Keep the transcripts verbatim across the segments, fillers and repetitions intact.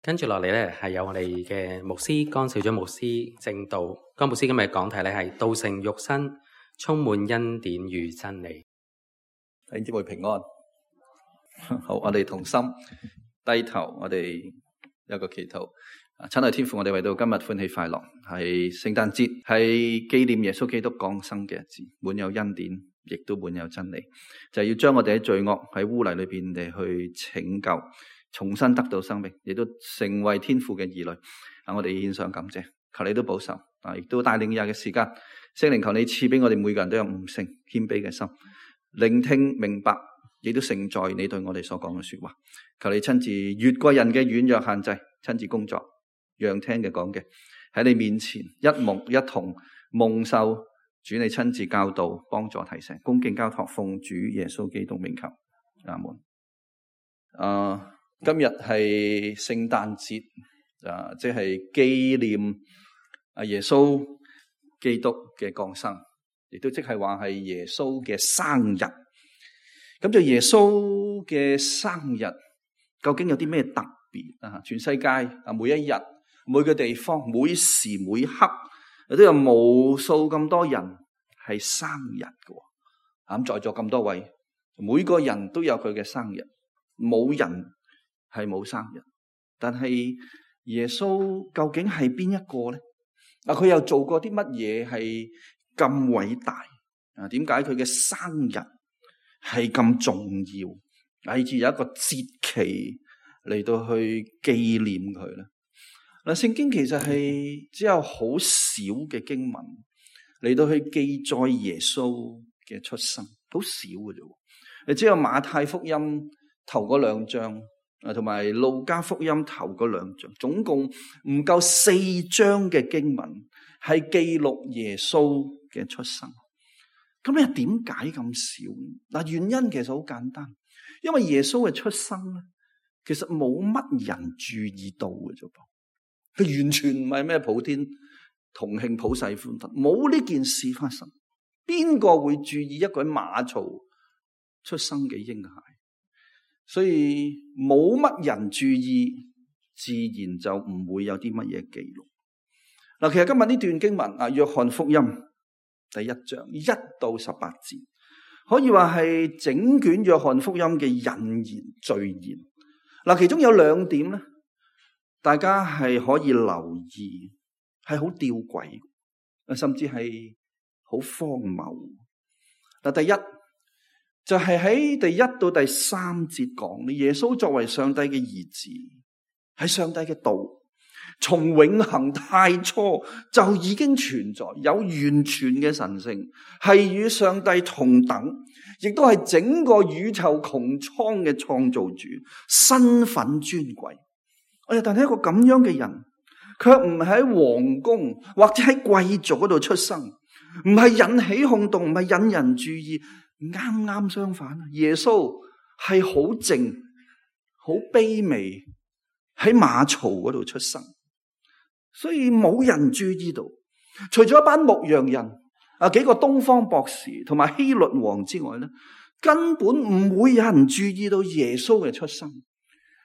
跟住落嚟咧，係有我哋嘅牧師江少長牧師正道。江牧師今日講題咧係道成肉身，充滿恩典與真理。弟兄姊妹平安。好，我哋同心低頭，我哋有個祈禱。親愛天父，我哋為到今日歡喜快樂，係聖誕節，係紀念耶穌基督降生嘅日子，滿有恩典，亦都滿有真理，就係要將我哋喺罪惡喺污泥裏邊嚟去拯救，重新得到生命，亦都成為天父嘅兒女。啊，我哋獻上感謝，求你都保守，啊，亦都帶領以下嘅時間，聖靈求你賜俾我哋每個人都有悟性、謙卑嘅心，聆聽明白，亦都承載你對我哋所講嘅說話。求你親自越過人嘅軟弱限制，親自工作，讓聽嘅講嘅喺你面前一蒙一同蒙受主你親自教導、幫助、提醒，恭敬交託，奉主耶穌基督名求，阿門。啊，今日係聖誕節，啊，即係紀念啊耶穌基督嘅降生，亦都即係話係耶穌嘅生日。咁就耶穌嘅生日究竟有啲咩特別啊？全世界啊，每一日、每個地方、每時每刻，都有無數咁多人係生日嘅。咁在座咁多位，每個人都有佢嘅生日，冇人係冇生日。但係耶穌究竟係邊一個咧？啊，佢又做過啲乜嘢係咁偉大啊？點解佢嘅生日係咁重要，以至有一個節期嚟到去紀念佢咧？嗱，聖經其實係只有好少嘅經文嚟到去記載耶穌嘅出生，好少嘅啫。你只有馬太福音頭嗰兩章，啊，同埋路加福音頭嗰兩章，總共唔夠四章嘅經文係記錄耶穌嘅出生。咁你點解咁少？嗱，原因其實好簡單，因為耶穌嘅出生咧，其實冇乜人注意到嘅啫噃。佢完全唔係咩普天同慶、普世歡騰，冇呢件事發生。邊個會注意一個喺馬槽出生嘅嬰孩？所以冇乜人注意，自然就唔會有啲乜嘢記錄。嗱，其實今日呢段經文啊，約翰福音第一章一到十八節，可以話係整卷約翰福音嘅引言序言。嗱，其中有兩點咧，大家係可以留意，係好吊詭，甚至係好荒謬。嗱，第一就係喺第一到第三節講，耶穌作為上帝嘅兒子，係上帝嘅道，從永恆太初就已經存在，有完全嘅神性，係與上帝同等，亦都係整個宇宙穹蒼嘅創造主，身份尊貴。哎呀，但係一個咁樣嘅人，卻唔係喺皇宮或者喺貴族嗰度出生，唔係引起轟動，唔係引人注意。啱啱相反，耶穌係好靜、好卑微，喺馬槽嗰度出生，所以冇人注意到。除咗一班牧羊人啊，幾個東方博士同埋希律王之外咧，根本唔會有人注意到耶穌嘅出生，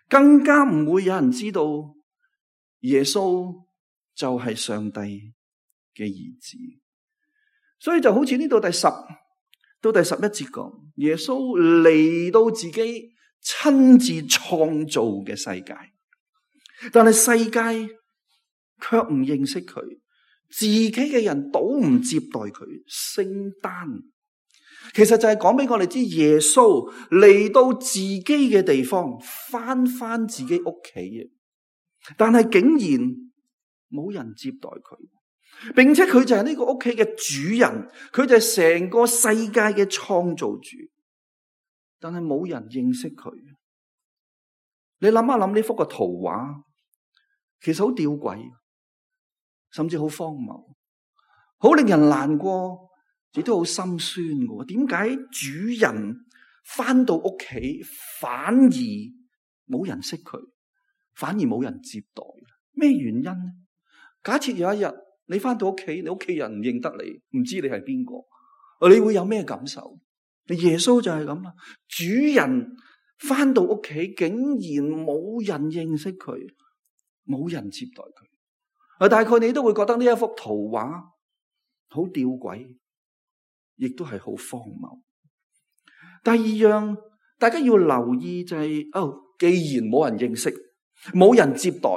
更加唔會有人知道耶穌就係上帝嘅兒子。所以就好似呢度第十到第十一節講，耶穌嚟到自己親自創造嘅世界，但係世界卻唔認識佢，自己嘅人都唔接待佢。聖誕其實就係講俾我哋知，耶穌嚟到自己嘅地方，翻翻自己屋企嘅，但係竟然冇人接待佢。並且佢就係呢個屋企嘅主人，佢就係成個世界嘅創造主，但係冇人認識佢。你諗一諗呢幅個圖畫，其實好吊詭，甚至好荒謬，好令人難過，亦都好心酸嘅。點解主人翻到屋企反而冇人識佢，反而冇人接待？咩原因呢？假設有一日，你翻到屋企，你屋企人唔認得你，唔知你係邊個，你會有咩感受？耶穌就係咁啦，主人翻到屋企，竟然冇人認識佢，冇人接待佢。啊，大概你都會覺得呢一幅圖畫好吊詭，亦都係好荒謬。第二樣大家要留意就係、是，哦，既然冇人認識，冇人接待，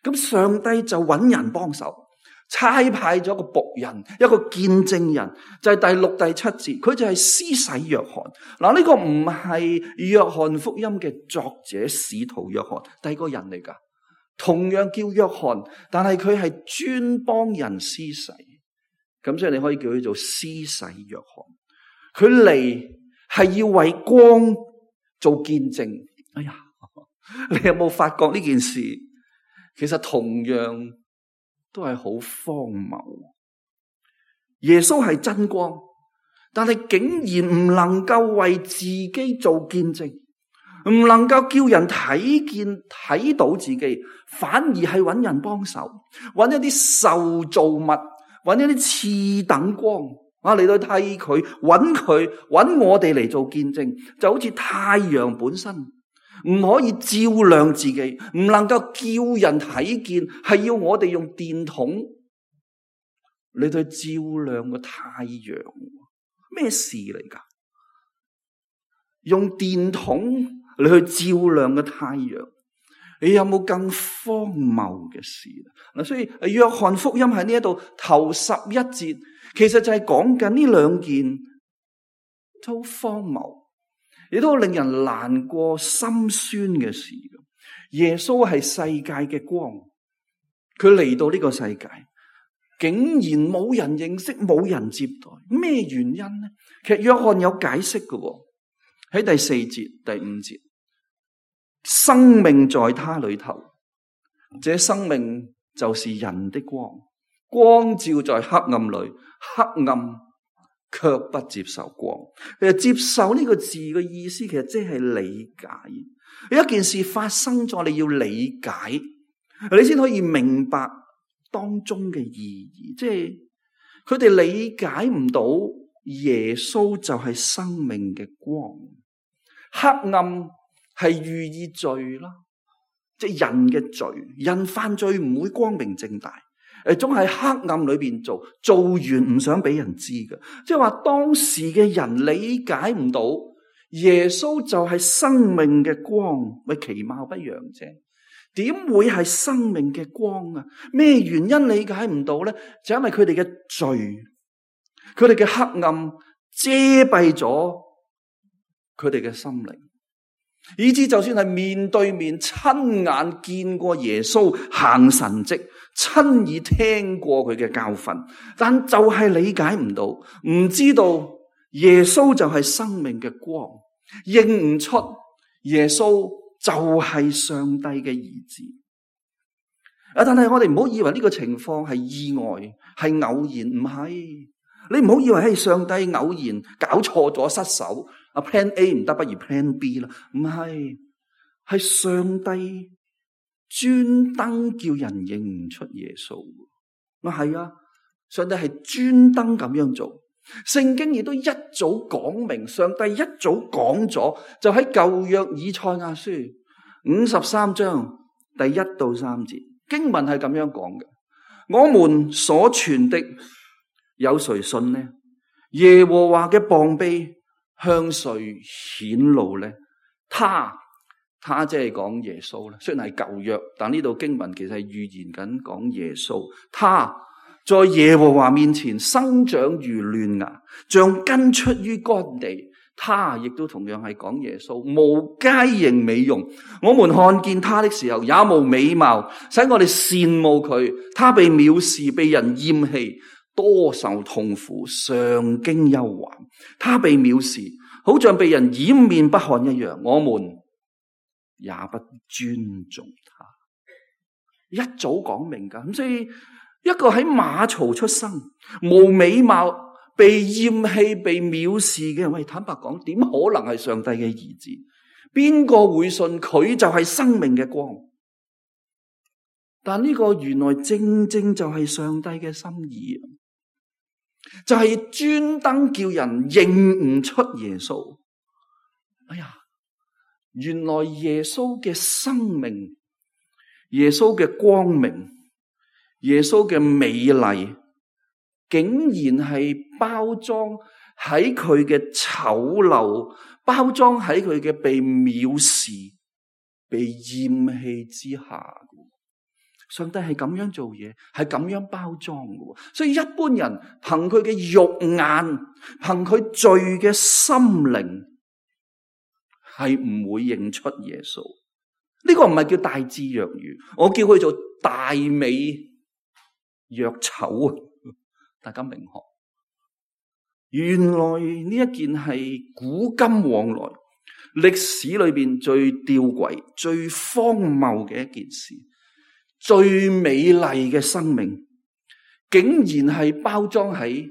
咁上帝就揾人幫手，差派咗個僕人，一個見證人，就係、是、第六、第七節，佢就係施洗約翰。嗱，呢個唔係約翰福音嘅作者使徒約翰，第二個人嚟噶，同樣叫約翰，但係佢係專幫人施洗，咁所以你可以叫佢做施洗約翰。佢嚟係要為光做見證。哎呀，你有冇發覺呢件事其實同樣都係好荒謬？耶穌係真光，但係竟然唔能夠為自己做見證，唔能夠叫人睇見睇到自己，反而係揾人幫手，揾一啲受造物，揾一啲次等光啊嚟到替佢，揾佢揾我哋嚟做見證，就好似太陽本身唔可以照亮自己，唔能夠叫人睇見，係要我哋用電筒嚟到照亮個太陽。咩事嚟噶？用電筒嚟去照亮個太陽，你有冇更荒謬嘅事？嗱，所以約翰福音喺呢一度頭十一節，其實就係講緊呢兩件都荒謬，亦都令人難過心酸嘅事。耶穌係世界嘅光，佢嚟到呢個世界，竟然冇人認識，冇人接待，咩原因呢？其實約翰有解釋嘅，喺第四節、第五節，生命在他裏頭，這生命就是人的光，光照在黑暗裏，黑暗卻不接受光。其實接受呢個字嘅意思，其實即係理解。一件事發生咗，你要理解，你先可以明白當中嘅意義。即係佢哋理解唔到耶穌就係生命嘅光，黑暗係寓意罪啦，即係人嘅罪，人犯罪唔會光明正大。誒，總係黑暗裏邊做，做完唔想俾人知嘅。即係話當時嘅人理解唔到耶穌就係生命嘅光，咪其貌不揚啫？點會係生命嘅光啊？咩原因理解唔到咧？就因為佢哋嘅罪，佢哋嘅黑暗遮蔽咗佢哋嘅心靈，以致就算係面對面親眼見過耶穌行神蹟，親耳聽過佢嘅教訓，但就係理解唔到，唔知道耶穌就係生命嘅光，認唔出耶穌就係上帝嘅兒子。啊！但係我哋唔好以為呢個情況係意外，係偶然，唔係。你唔好以為係上帝偶然搞錯咗失手，啊 plan A 唔得，不如 plan B 啦。唔係，係上帝專登叫人認唔出耶穌。啊係啊，上帝係專登咁樣做。聖經亦都一早講明，上帝一早講咗，就喺舊約以賽亞書五十三章第一到三節經文係咁樣講嘅：我們所傳的有誰信呢？耶和華嘅膀臂向誰顯露呢？他他即係講耶穌啦，雖然係舊約，但呢度經文其實係預言緊講耶穌。他在耶和華面前生長如嫩芽，像根出於乾地。他亦都同樣係講耶穌，無佳形美容。我們看見他的時候，也無美貌，使我哋羨慕佢。他被藐視，被人厭棄，多受痛苦，常經憂患。他被藐視，好像被人掩面不看一樣。我們也不尊重他。一早講明㗎，咁所以一個喺馬槽出生、無美貌、被厭棄、被藐視嘅人，喂，坦白講，點可能係上帝嘅兒子？邊個會信佢就係生命嘅光？但呢個原來正正就係上帝嘅心意，就係專登叫人認唔出耶穌。哎呀，原來耶穌嘅生命耶穌嘅光明，耶穌嘅美麗，竟然係包裝喺佢嘅醜陋，包裝喺佢嘅被藐視、被厭棄之下。上帝係咁樣做嘢，係咁樣包裝嘅。所以一般人憑佢嘅肉眼，憑佢罪嘅心靈，係唔會認出耶穌。呢個唔係叫大智若愚，我叫佢做大美若醜啊！大家明學，原來呢一件係古今往來歷史裏邊最吊詭、最荒謬嘅一件事。最美麗嘅生命，竟然係包裝喺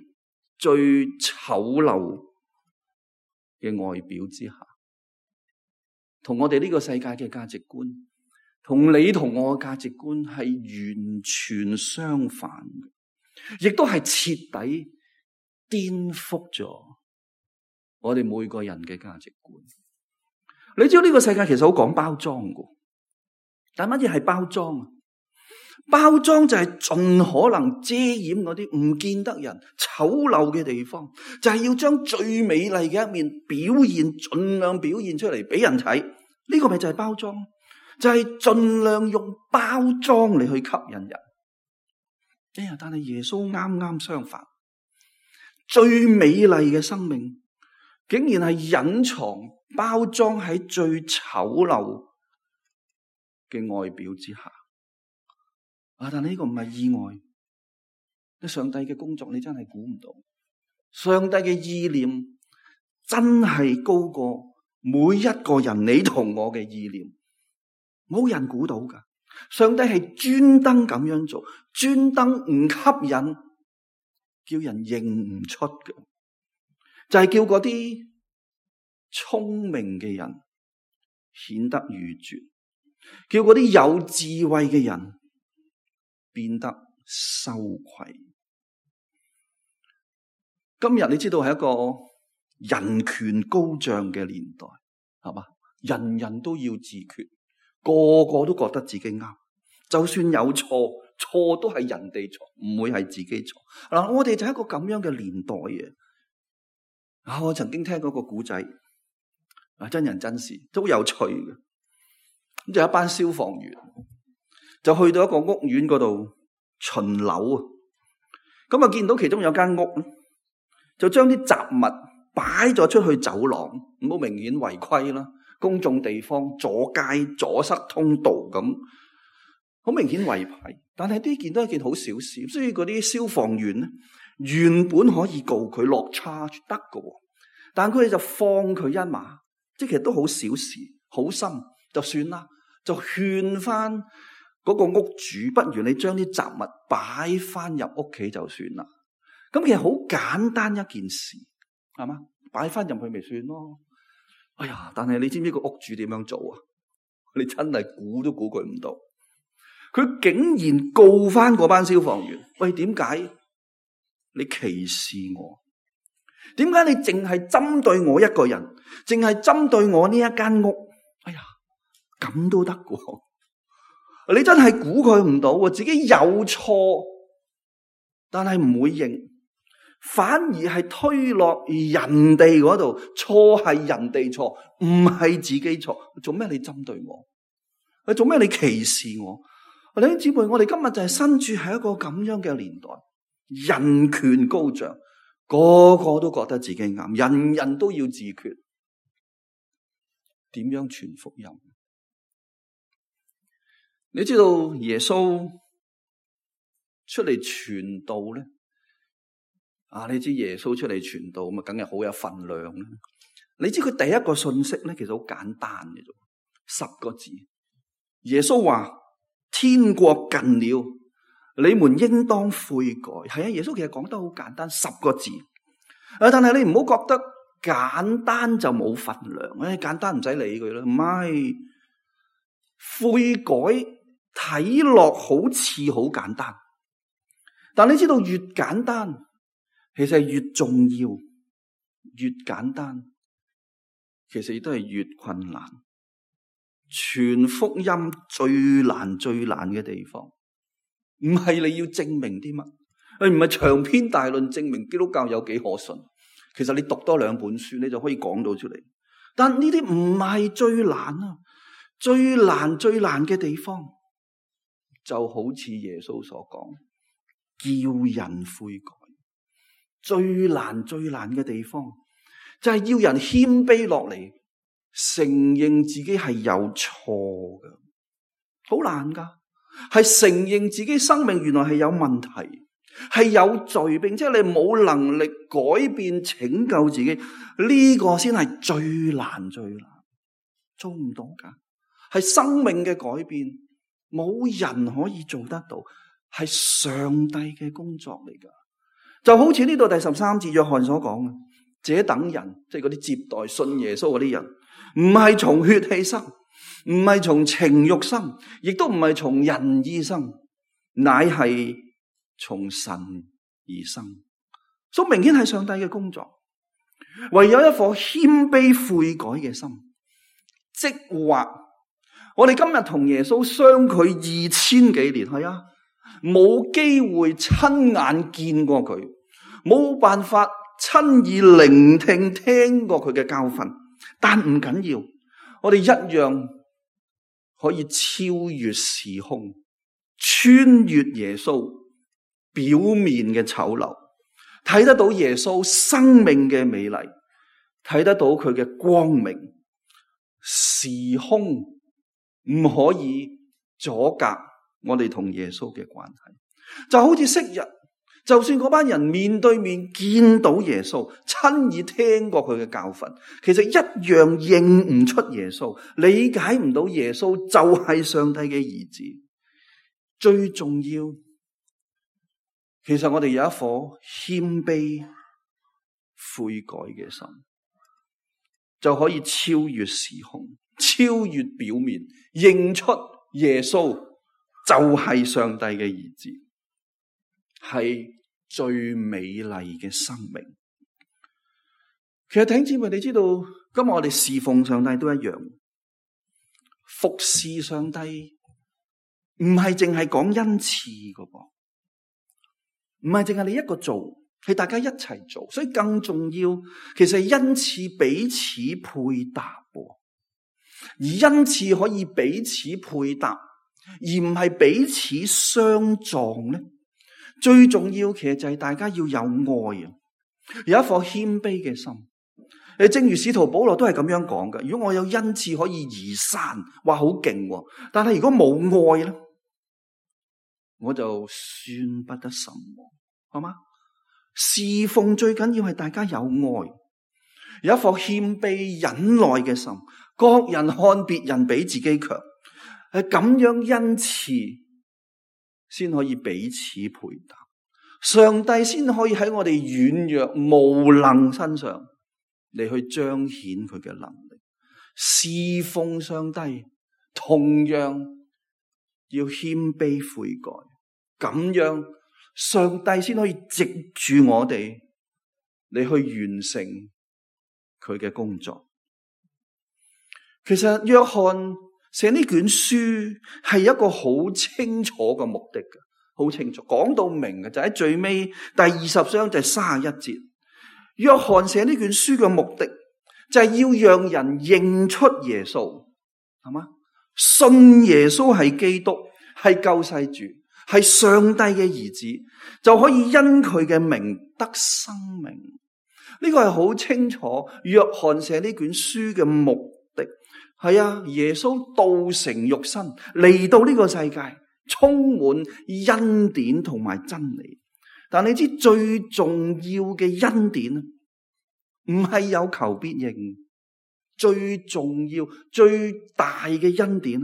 最醜陋嘅外表之下，同我哋呢個世界嘅價值觀，同你同我嘅價值觀係完全相反嘅，亦都係徹底顛覆咗我哋每個人嘅價值觀。你知道呢個世界其實好講包裝嘅，但乜嘢係包裝啊？包裝就係盡可能遮掩嗰啲唔見得人醜陋嘅地方，就係要將最美麗嘅一面表現，盡量表現出嚟俾人睇。呢個咪就係包裝，就係盡量用包裝嚟去吸引人。哎呀，但係耶穌啱啱相反，最美麗嘅生命竟然係隱藏包裝喺最醜陋嘅外表之下。啊！但係呢個唔係意外，你上帝嘅工作你真係估唔到，上帝嘅意念真係高過每一個人你同我嘅意念，冇人估到噶。上帝係專登咁樣做，專登唔吸引，叫人認唔出嘅，就係、是、叫嗰啲聰明嘅人顯得愚拙，叫嗰啲有智慧嘅人變得羞愧。今日你知道係一個人權高漲嘅年代，係嘛？人人都要自決，個個都覺得自己啱，就算有錯，錯都係人哋錯，唔會係自己錯。嗱，我哋就係一個咁樣嘅年代嘅。啊，我曾經聽過個古仔，啊，真人真事，都有趣嘅。咁就有一班消防員，就去到一個屋苑嗰度巡樓啊，咁啊見到其中有間屋咧，就將啲雜物擺咗出去走廊，咁好明顯違規啦，公眾地方阻街阻塞通道咁，好明顯違規。但係呢件都係一件好小事，所以嗰啲消防員咧原本可以告佢落 charge 得㗎，但佢哋就放佢一馬，即係其實都好小事，好心就算啦，就勸翻嗰個屋主，不如你將啲雜物擺翻入屋企就算啦。咁其實好簡單一件事，係嘛？擺翻入去咪算咯。哎呀，但係你知唔知個屋主點樣做啊？你真係估都估佢唔到，佢竟然告翻嗰班消防員。喂，點解你歧視我？點解你淨係針對我一個人，淨係針對我呢一間屋？哎呀，咁都得㗎？你真係估佢唔到，自己有錯，但係唔會認，反而係推落人哋嗰度，錯係人哋錯，唔係自己錯。做咩你針對我？你做咩你歧視我？弟兄姊妹，我哋今日就係身處喺一個咁樣嘅年代，人權高漲，個個都覺得自己啱，人人都要自決，點樣傳福音？你知道耶穌出嚟傳道咧？啊，你知耶穌出嚟傳道咁啊，梗係好有分量啦。你知佢第一個信息咧，其實好簡單嘅啫，十個字。耶穌話：天國近了，你們應當悔改。係啊，耶穌其實講得好簡單，十個字。啊，但係你唔好覺得簡單就冇分量。誒、哎，簡單唔使理佢啦，唔係悔改。睇落好似好簡單，但你知道越簡單，其實係越重要；越簡單，其實亦都係越困難。傳福音最難最難嘅地方，唔係你要證明啲乜，你唔係長篇大論證明基督教有幾可信。其實你讀多兩本書，你就可以講到出嚟。但呢啲唔係最難啊，最難最難嘅地方，就好似耶穌所講，叫人悔改。最難最難嘅地方，就係要人謙卑落嚟，承認自己係有錯嘅，好難噶。係承認自己生命原來係有問題，係有罪，並且你冇能力改變拯救自己，呢個先係最難最難，做唔到噶。係生命嘅改變，冇人可以做得到，係上帝嘅工作嚟噶。就好似呢度第十三節約翰所講嘅，這等人即係嗰啲接待信耶穌嗰啲人，唔係從血氣生，唔係從情欲生，亦都唔係從人意生，乃係從神而生。所以明顯係上帝嘅工作。唯有一顆謙卑悔改嘅心，即或我哋今日同耶穌相距二千幾年，係啊，冇機會親眼見過佢，冇辦法親耳聆聽聽過佢嘅教訓，但唔緊要，我哋一樣可以超越時空，穿越耶穌表面嘅醜陋，睇得到耶穌生命嘅美麗，睇得到佢嘅光明。時空唔可以阻隔我哋同耶穌嘅關係，就好似昔日，就算嗰班人面對面見到耶穌，親耳聽過佢嘅教訓，其實一樣認唔出耶穌，理解唔到耶穌就係上帝嘅兒子。最重要，其實我哋有一顆謙卑悔改嘅心，就可以超越時空，超越表面，認出耶穌就係上帝嘅兒子，係最美麗嘅生命。其實弟兄姊妹，你知道今日我哋侍奉上帝都一樣，服侍上帝唔係淨係講恩賜噶噃，唔係淨係你一個做，係大家一齊做，所以更重要，其實係恩賜彼此配搭，而恩賜可以彼此配搭，而唔係彼此相撞咧。最重要其實就係大家要有愛啊，有一顆謙卑嘅心。誒，正如使徒保羅都係咁樣講嘅。如果我有恩賜可以移山，哇，好勁喎！但係如果冇愛咧，我就算不得什麼，好嗎？侍奉最緊要係大家有愛，有一顆謙卑忍耐嘅心。各人看別人比自己強，係咁樣恩賜先可以彼此配搭，上帝先可以喺我哋軟弱無能身上嚟去彰顯佢嘅能力。侍奉上帝同樣要謙卑悔改，咁樣上帝先可以藉住我哋嚟去完成佢嘅工作。其實約翰寫呢卷書係一個好清楚嘅目的嘅，好清楚講到明嘅，就喺最尾第二十章就係三十一節。約翰寫呢卷書嘅目的就係要讓人認出耶穌，係嘛？信耶穌係基督，係救世主，係上帝嘅兒子，就可以因佢嘅名得生命。呢個係好清楚約翰寫呢卷書嘅目的。係啊，耶穌道成肉身嚟到呢個世界，充滿恩典同埋真理。但你知最重要嘅恩典唔係有求必應，最重要最大嘅恩典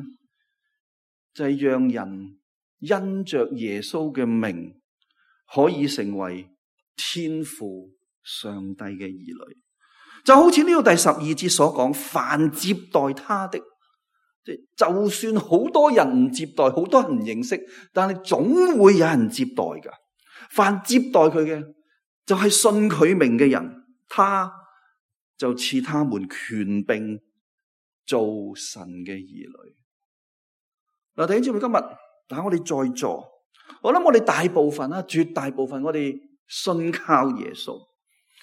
就係讓人因着耶穌嘅名可以成為天父上帝嘅兒女。就好似呢個第十二節所講，凡接待他的，即就算好多人唔接待，好多人唔認識，但係總會有人接待噶。凡接待佢嘅，就係信佢名嘅人，他就賜他們權柄做神嘅兒女。嗱，弟兄姊妹，今日但我哋在座，我諗我哋大部分啊，絕大部分我哋信靠耶穌，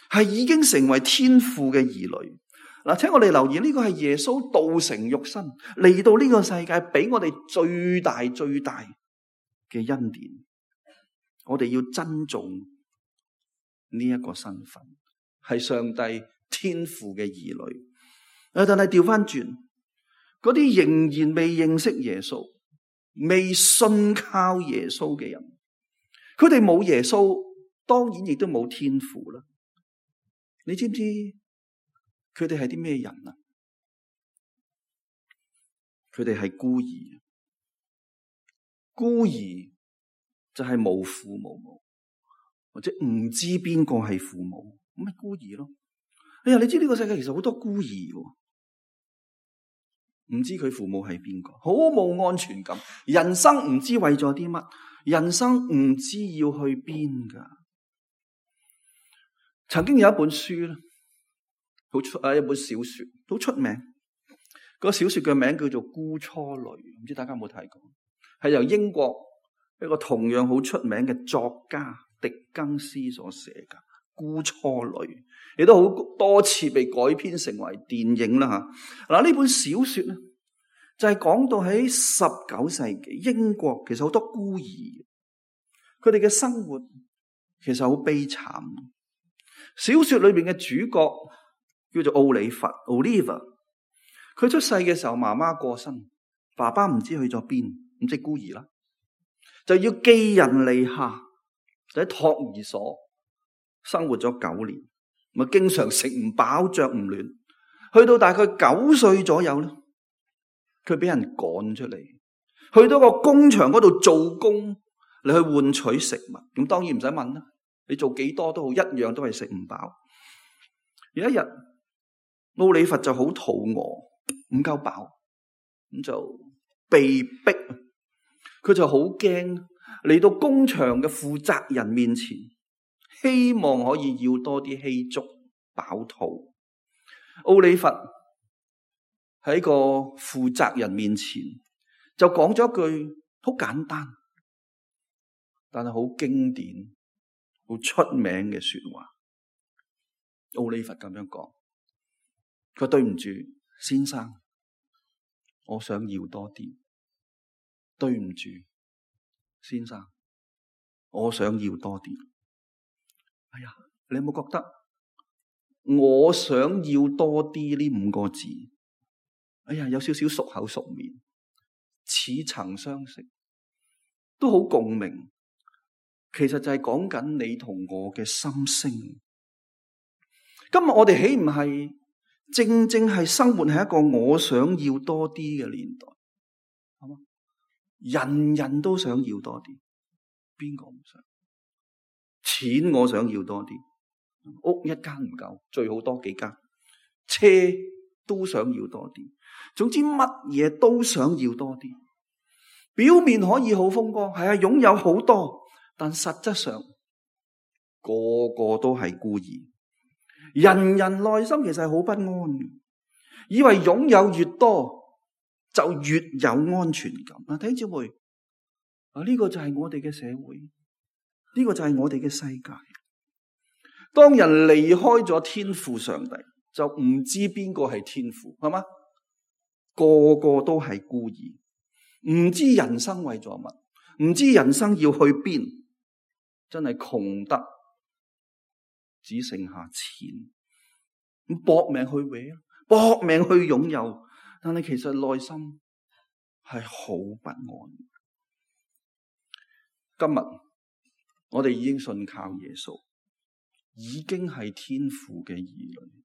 係已經成為天父嘅兒女。嗱，請我哋留意，呢個係耶穌道成肉身嚟到呢個世界，俾我哋最大最大嘅恩典。我哋要珍重呢一個身份，係上帝天父嘅兒女。但係調翻轉，嗰啲仍然未認識耶穌、未信靠耶穌嘅人，佢哋冇耶穌，當然亦都冇天父啦。你知唔知佢哋係啲咩人啊？佢哋係孤兒，孤兒就係無父無母，或者唔知邊個係父母，咁咪孤兒咯。哎呀，你知呢個世界其實好多孤兒喎，唔知佢父母係邊個，好冇安全感，人生唔知為咗啲乜，人生唔知要去邊噶。曾經有一本書咧，好出啊，一本小說好出名。個小說嘅名叫做《孤雛淚》，唔知大家有冇睇過？係由英國一個同樣好出名嘅作家狄更斯所寫嘅《孤雛淚》，亦都好多次被改編成為電影啦吓。嗱，呢本小說咧就係講到喺十九世紀英國，其實好多孤兒，佢哋嘅生活其實好悲慘。小說裏邊嘅主角叫做奧利弗 Oliver， 佢出世嘅時候媽媽過身，爸爸唔知去咗邊，唔知孤兒啦，就要寄人籬下，就喺托兒所生活咗九年，咪經常食唔飽着唔暖，去到大概九歲左右咧，佢俾人趕出嚟，去到個工場嗰度做工嚟去換取食物。咁當然唔使問啦，你做幾多都好，一樣都係食唔飽。有一日，奧利弗就好肚餓，唔夠飽，咁就被逼，佢就好驚，嚟到工場嘅負責人面前，希望可以要多啲稀粥飽肚。奧利弗喺個負責人面前就講咗一句好簡單，但係好經典、好出名嘅說話。奧利弗咁樣講，佢話對唔住先生，我想要多啲。對唔住先生，我想要多啲。哎呀，你有冇覺得我想要多啲呢五個字，哎呀，有少少熟口熟面，似曾相識，都好共鳴。其實就係講緊你同我嘅心聲。今日我哋豈唔係正正係生活喺一個我想要多啲嘅年代？係嘛？人人都想要多啲，邊個唔想？錢我想要多啲，屋一間唔夠，最好多幾間，車都想要多啲，總之乜嘢都想要多啲。表面可以好風光，係啊，擁有好多，但實質上個個都係孤兒。人人內心其實係好不安嘅，以為擁有越多就越有安全感。嗱，弟兄姊妹，啊，呢個就係我哋嘅社會，呢個就係我哋嘅世界。當人離開咗天父上帝，就唔知邊個係天父，係嘛？個個都係孤兒，唔知人生為咗乜，唔知人生要去邊，真係窮得只剩下錢，咁搏命去搲，搏命去擁有，但係其實內心係好不安。今日我哋已經信靠耶穌，已經係天父嘅兒女。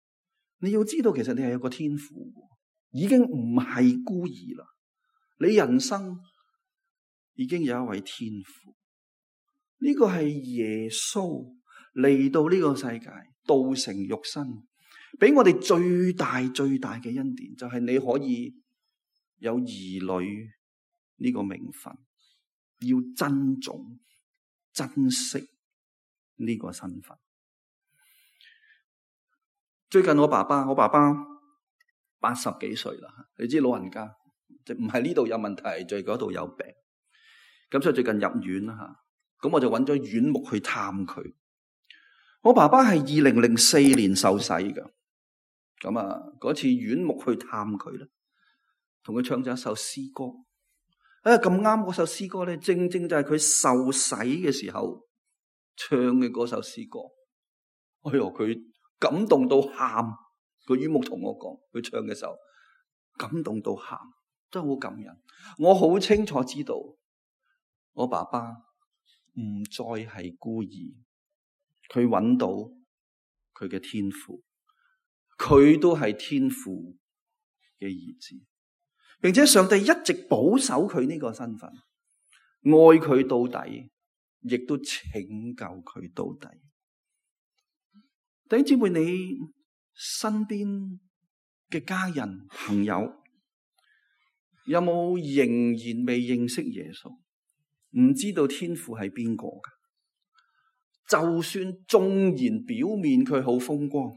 你要知道，其實你係有個天父，已經唔係孤兒啦。你人生已經有一位天父，呢個係耶穌嚟到呢個世界，道成肉身，俾我哋最大最大嘅恩典，就係你可以有兒女呢個名分，要珍重、珍惜呢個身份。最近我爸爸，我爸爸八十幾歲啦。你知老人家就唔係呢度有問題，就係嗰度有病。咁所以最近入院啦吓，咁我就揾咗院牧去探佢。我爸爸係二零零四年受洗㗎，咁啊嗰次院牧去探佢咧，同佢唱咗一首詩歌。啊咁啱嗰首詩歌咧，正正就係佢受洗嘅時候唱嘅嗰首詩歌。哎喲，佢感動到喊。個院牧同我講，佢唱嘅時候感動到喊，真係好感人。我好清楚知道，我爸爸唔再係孤兒，佢揾到佢嘅天父，佢都係天父嘅兒子，並且上帝一直保守佢呢個身份，愛佢到底，亦都拯救佢到底。弟兄姊妹，你身邊嘅家人朋友有冇仍然未認識耶穌，唔知道天父係邊個噶？就算縱然表面佢好風光，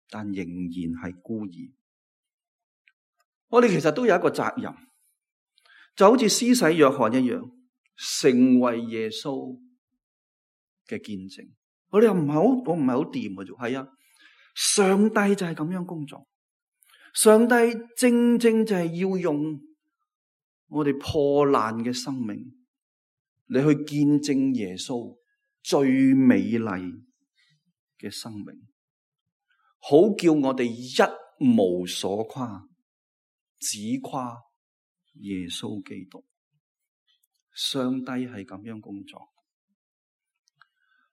但仍然係孤兒。我哋其實都有一個責任，就好似施洗約翰一樣，成為耶穌嘅見證。我哋又唔係好，我唔係好掂嘅啫。係啊，上帝就係咁樣工作。上帝正正就係要用我哋破爛嘅生命，你去見證耶穌最美麗嘅生命，好叫我哋一無所誇，只誇耶穌基督。上帝係咁樣工作。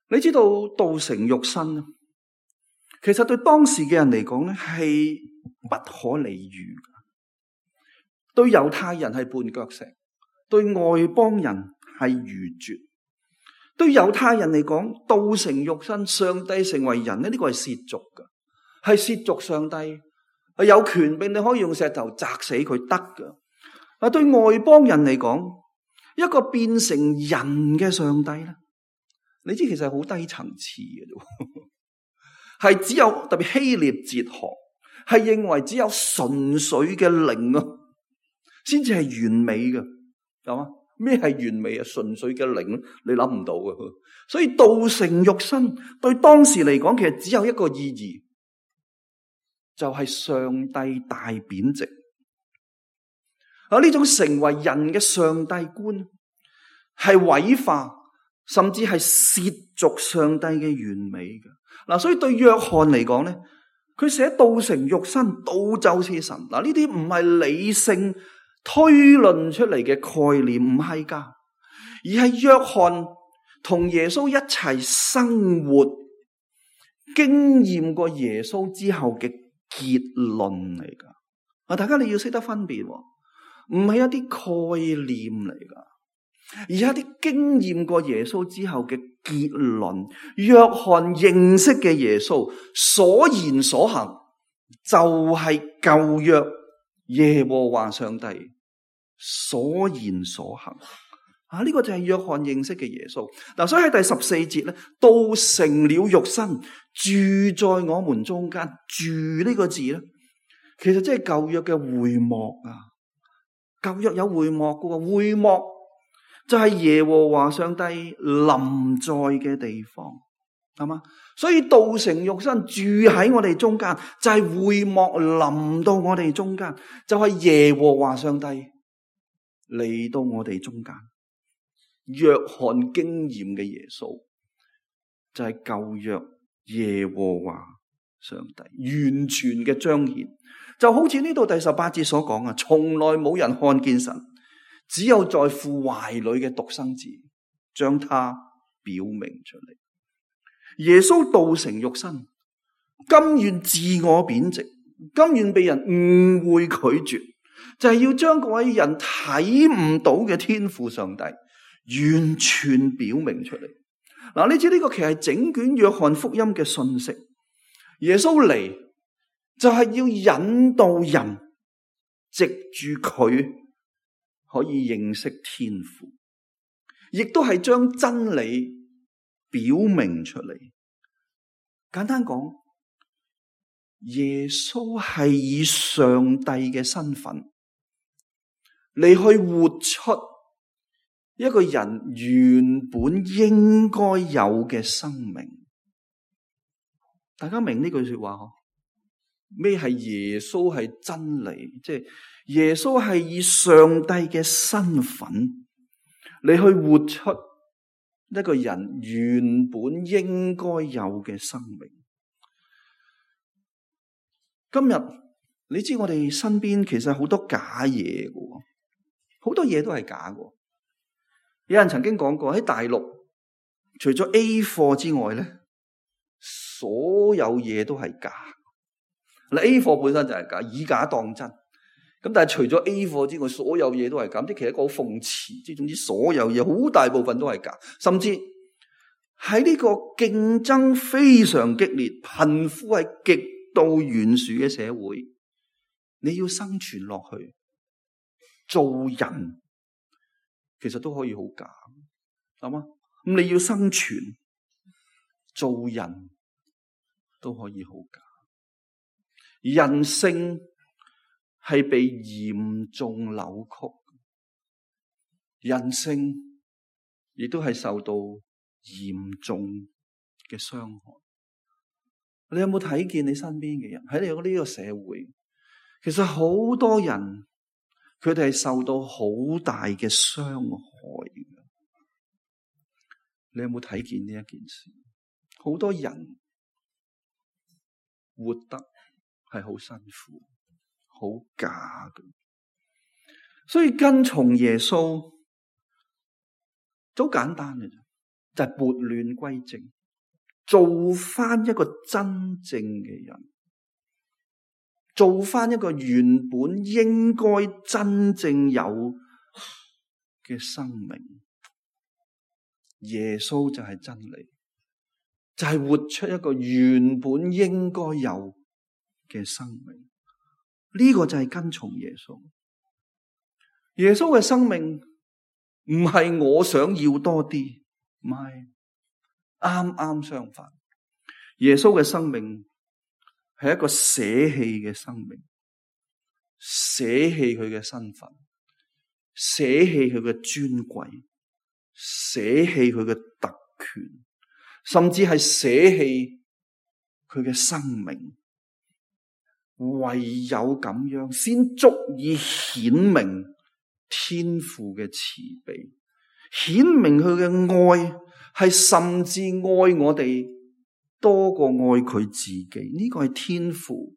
你知道道成肉身，其實對當時嘅人嚟講咧係不可理喻嘅。對猶太人係絆腳石，對外邦人係愚拙。對猶太人嚟講，道成肉身，上帝成為人咧，呢個係褻瀆嘅，係褻瀆上帝，係有權柄你可以用石頭砸死佢得嘅。啊，對外邦人嚟講，一個變成人嘅上帝咧。你知其實係好低層次嘅啫，係只有特別希臘哲學係認為只有純粹嘅靈啊，先至係完美嘅，係嘛？咩係完美啊？純粹嘅靈，你諗唔到嘅。所以道成肉身對當時嚟講，其實只有一個意義，就係上帝大貶值。啊，呢種成為人嘅上帝觀係毀化，甚至係褻瀆上帝嘅完美嘅。嗱，所以對約翰嚟講咧，佢寫道成肉身，道就是神。嗱，呢啲唔係理性推論出嚟嘅概念，唔係噶，而係約翰同耶穌一齊生活，經驗過耶穌之後嘅結論嚟噶。啊，大家你要識得分別，唔係一啲概念嚟噶。而一啲經驗過耶穌之後嘅結論，約翰認識嘅耶穌所言所行就係舊約耶和華上帝所言所行啊！呢個就係約翰認識嘅耶穌嗱，所以喺第十四節咧，道成了肉身，住在我們中間。住呢個字咧，其實即係舊約嘅會幕啊！舊約有會幕嘅，會幕就係耶和華上帝臨在嘅地方，係嘛？所以道成肉身住喺我哋中間，就係會幕臨到我哋中間，就係耶和華上帝嚟到我哋中間。約翰經驗嘅耶穌就係舊約耶和華上帝完全嘅彰顯，就好似呢度第十八節所講啊，從來冇人看見神，只有在父懷裏嘅獨生子將他表明出嚟。耶穌道成肉身，甘願自我貶值，甘願被人誤會拒絕，就係要將嗰位人睇唔到嘅天父上帝完全表明出嚟。嗱，你知呢個其實係整卷約翰福音嘅信息。耶穌嚟就係要引導人藉住佢可以認識天父，亦都係將真理表明出嚟。簡單講，耶穌係以上帝嘅身份嚟去活出一個人原本應該有嘅生命。大家明呢句說話嗬？咩係耶穌係真理？即係耶穌係以上帝嘅身份嚟去活出一個人原本應該有嘅生命。今日你知我哋身邊其實好多假嘢嘅，好多嘢都係假嘅。有人曾經講過喺大陸，除咗 A 貨之外咧，所有嘢都係假。嗱 A 貨本身就係假，以假當真。咁但係除咗 A 貨之外，所有嘢都係假。即係其實一個好諷刺，即係總之所有嘢好大部分都係假。甚至喺呢個競爭非常激烈、貧富係極度懸殊嘅社會，你要生存落去，做人其實都可以好假，係嘛？咁你要生存，做人都可以好假。人性係被嚴重扭曲，人性亦都係受到嚴重嘅傷害。你有冇睇見你身邊嘅人喺你呢個社會？其實好多人佢哋係受到好大嘅傷害嘅。你有冇睇見呢一件事？好多人活得係好辛苦、好假嘅，所以跟從耶穌好簡單嘅啫，就係撥亂歸正，做翻一個真正嘅人，做翻一個原本應該真正有嘅生命。耶穌就係真理，就係活出一個原本應該有嘅生命。呢個就係跟從耶穌。耶穌嘅生命唔係我想要多啲，唔係，啱啱相反。耶穌嘅生命係一個捨棄嘅生命，捨棄佢嘅身份，捨棄佢嘅尊貴，捨棄佢嘅特權，甚至係捨棄佢嘅生命。唯有咁樣先足以顯明天父嘅慈悲，顯明佢嘅愛係甚至愛我哋多過愛佢自己。呢個係天父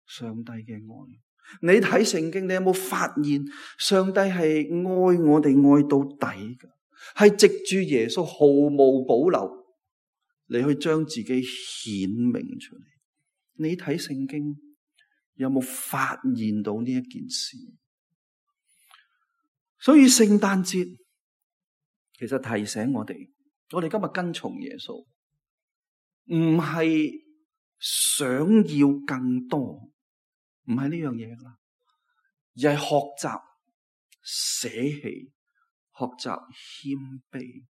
上帝嘅愛。你睇聖經，你有冇發現上帝係愛我哋愛到底嘅？係藉住耶穌毫無保留嚟去將自己顯明出嚟。你睇聖經有冇發現到呢一件事？所以聖誕節其實提醒我哋，我哋今日跟從耶穌，唔係想要更多，唔係呢樣嘢啦，而係學習捨棄，學習謙卑，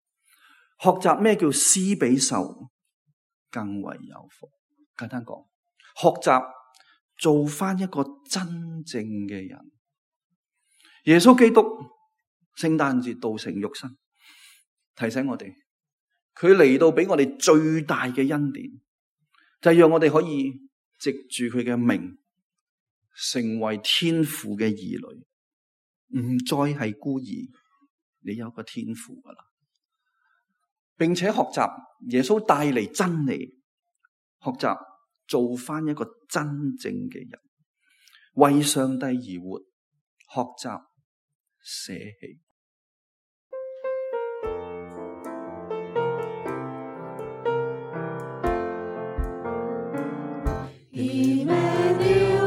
學習咩叫施比受更為有福。簡單講，學習做翻一個真正嘅人。耶穌基督聖誕節道成肉身，提醒我哋，佢嚟到俾我哋最大嘅恩典，就係讓我哋可以藉住佢嘅名，成為天父嘅兒女，唔再係孤兒。你有個天父噶啦，並且學習耶穌帶嚟真理，學習做翻一個真正嘅人，為上帝而活，學習捨棄。歡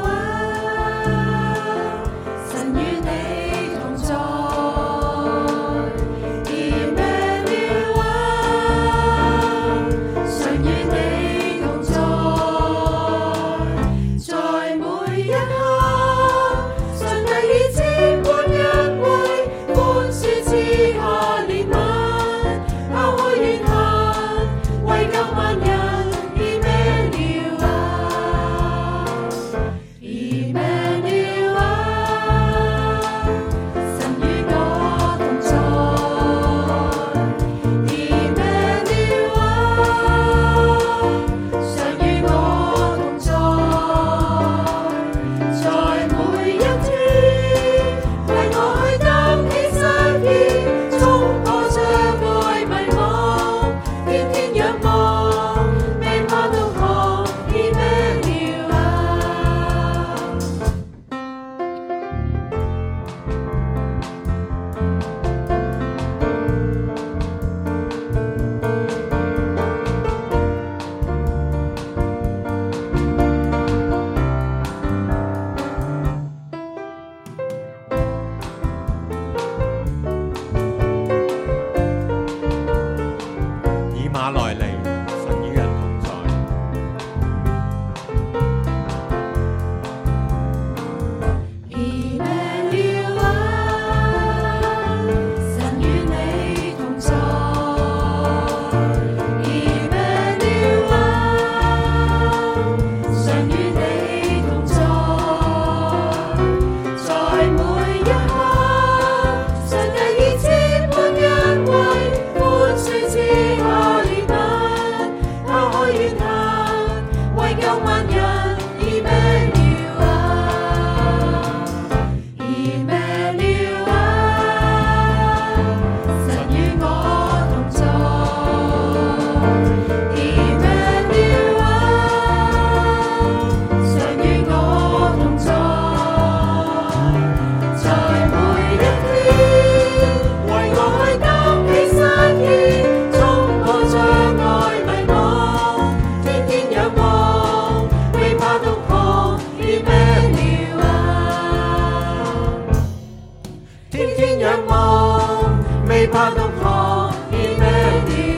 未怕毒河已咩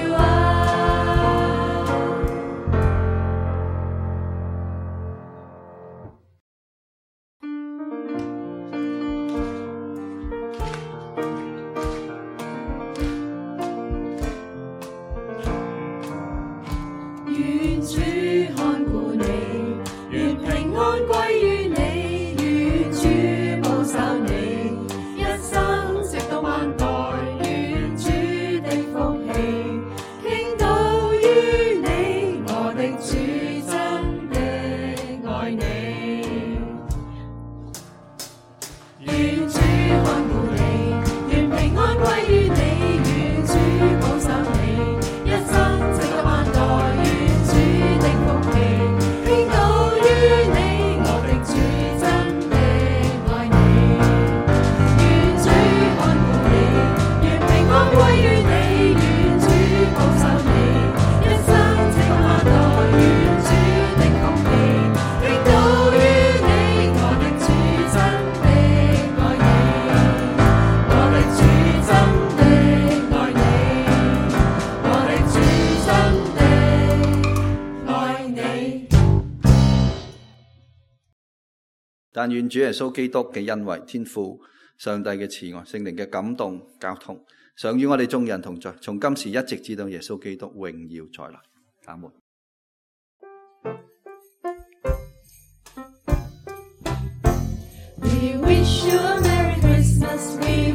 了啊！願主看顧你，願平安歸於你，願主保守你，一生直到萬代，願主的福氣傾倒於你，我的主真的愛你。願主看顧你，願平安歸於你，願主保守你，一生直到萬代。但願主耶穌基督嘅恩惠、天父上帝嘅慈愛、聖靈嘅感動、交通，常與我哋眾人同在，從今時一直至到耶穌基督榮耀再來。阿門。We wish you a Merry Christmas. We